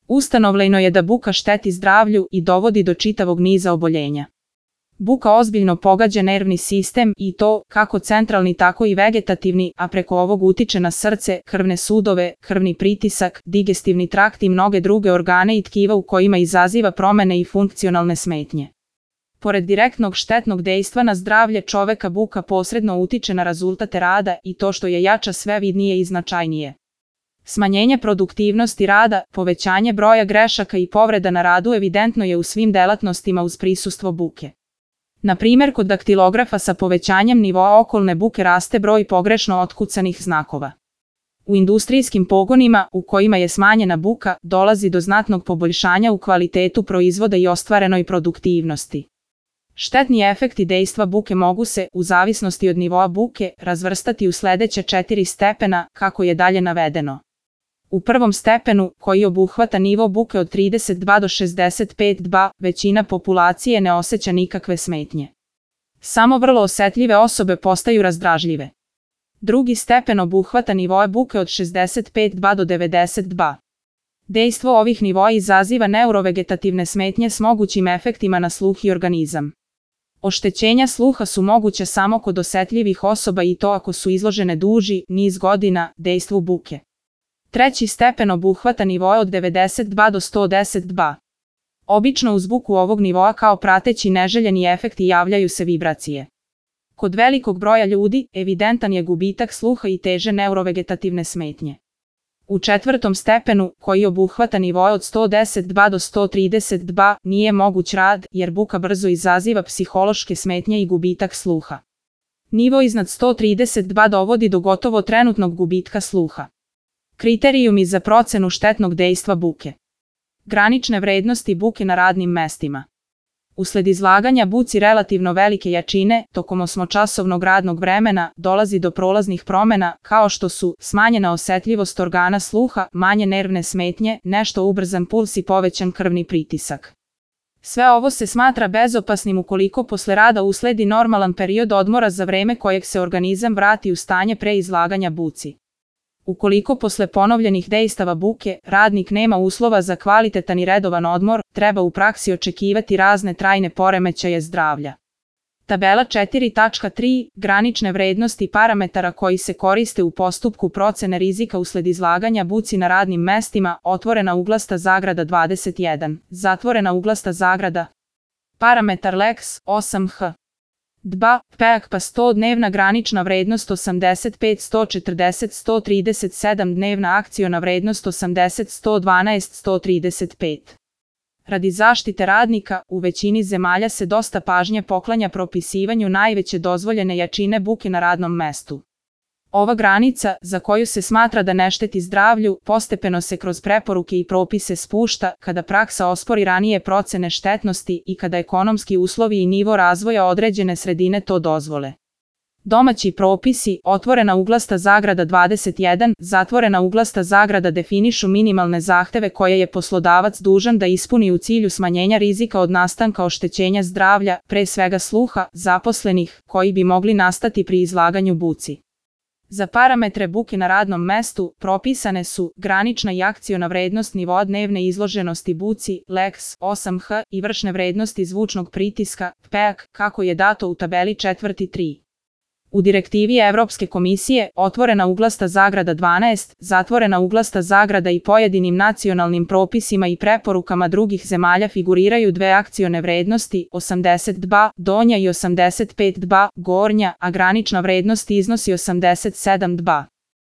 Ustanovljeno je da buka šteti zdravlju i dovodi do čitavog niza oboljenja. Buka ozbiljno pogađa nervni sistem i to, kako centralni tako i vegetativni, a preko ovog utiče na srce, krvne sudove, krvni pritisak, digestivni trakt i mnoge druge organe i tkiva u kojima izaziva promene i funkcionalne smetnje. Pored direktnog štetnog dejstva na zdravlje čoveka, buka posredno utiče na rezultate rada i to što je jača sve vidnije i značajnije. Smanjenje produktivnosti rada, povećanje broja grešaka i povreda na radu evidentno je u svim delatnostima uz prisustvo buke. Na primjer, kod daktilografa sa povećanjem nivoa okolne buke raste broj pogrešno otkucanih znakova. U industrijskim pogonima, u kojima je smanjena buka, dolazi do znatnog poboljšanja u kvalitetu proizvoda i ostvarenoj produktivnosti. Štetni efekti dejstva buke mogu se, u zavisnosti od nivoa buke, razvrstati u sledeće 4 stepena, kako je dalje navedeno. U prvom stepenu, koji obuhvata nivo buke od 32 do 65 dB, većina populacije ne osjeća nikakve smetnje. Samo vrlo osetljive osobe postaju razdražljive. Drugi stepen obuhvata nivoe buke od 65 dB do 90 dB. Dejstvo ovih nivoa izaziva neurovegetativne smetnje s mogućim efektima na sluh i organizam. Oštećenja sluha su moguće samo kod osetljivih osoba i to ako su izložene duži niz godina dejstvu buke. Treći stepen obuhvata nivoe od 92 do 110 dB. Obično uz buku ovog nivoa kao prateći neželjeni efekti javljaju se vibracije. Kod velikog broja ljudi evidentan je gubitak sluha i teže neurovegetativne smetnje. U četvrtom stepenu, koji obuhvata nivoe od 110 dB do 130 dB, nije moguć rad jer buka brzo izaziva psihološke smetnje i gubitak sluha. Nivo iznad 130 dB dovodi do gotovo trenutnog gubitka sluha. Kriterijumi za procenu štetnog dejstva buke. Granične vrednosti buke na radnim mestima. Usled izlaganja buci relativno velike jačine, tokom osmočasovnog radnog vremena, dolazi do prolaznih promena, kao što su smanjena osetljivost organa sluha, manje nervne smetnje, nešto ubrzan puls i povećan krvni pritisak. Sve ovo se smatra bezopasnim ukoliko posle rada usledi normalan period odmora za vreme kojeg se organizam vrati u stanje pre izlaganja buci. Ukoliko posle ponovljenih dejstava buke, radnik nema uslova za kvalitetan i redovan odmor, treba u praksi očekivati razne trajne poremećaje zdravlja. Tabela 4.3. Granične vrednosti parametara koji se koriste u postupku procene rizika usled izlaganja buci na radnim mestima, otvorena uglasta zagrada 21, zatvorena uglasta zagrada. Parametar LEX 8H. dBA, PEAK pa 100 dnevna granična vrednost 85 140 137 dnevna akciona vrednost 80 112 135. Radi zaštite radnika, u većini zemalja se dosta pažnje poklanja propisivanju najveće dozvoljene jačine buke na radnom mestu. Ova granica, za koju se smatra da ne šteti zdravlju, postepeno se kroz preporuke i propise spušta kada praksa ospori ranije procene štetnosti i kada ekonomski uslovi i nivo razvoja određene sredine to dozvole. Domaći propisi, otvorena uglasta zagrada 21, zatvorena uglasta zagrada definišu minimalne zahteve koje je poslodavac dužan da ispuni u cilju smanjenja rizika od nastanka oštećenja zdravlja, pre svega sluha, zaposlenih, koji bi mogli nastati pri izlaganju buci. Za parametre buke na radnom mestu propisane su granična i akciona vrednost nivoa dnevne izloženosti buci, LEX 8H i vršne vrednosti zvučnog pritiska, PEAK, kako je dato u tabeli 4.3. U direktivi Evropske komisije, otvorena uglasta zagrada 12, zatvorena uglasta zagrada i pojedinim nacionalnim propisima i preporukama drugih zemalja figuriraju dve akcione vrednosti, 80 dBA, donja i 85 dBA, gornja, a granična vrednost iznosi 87 dBA.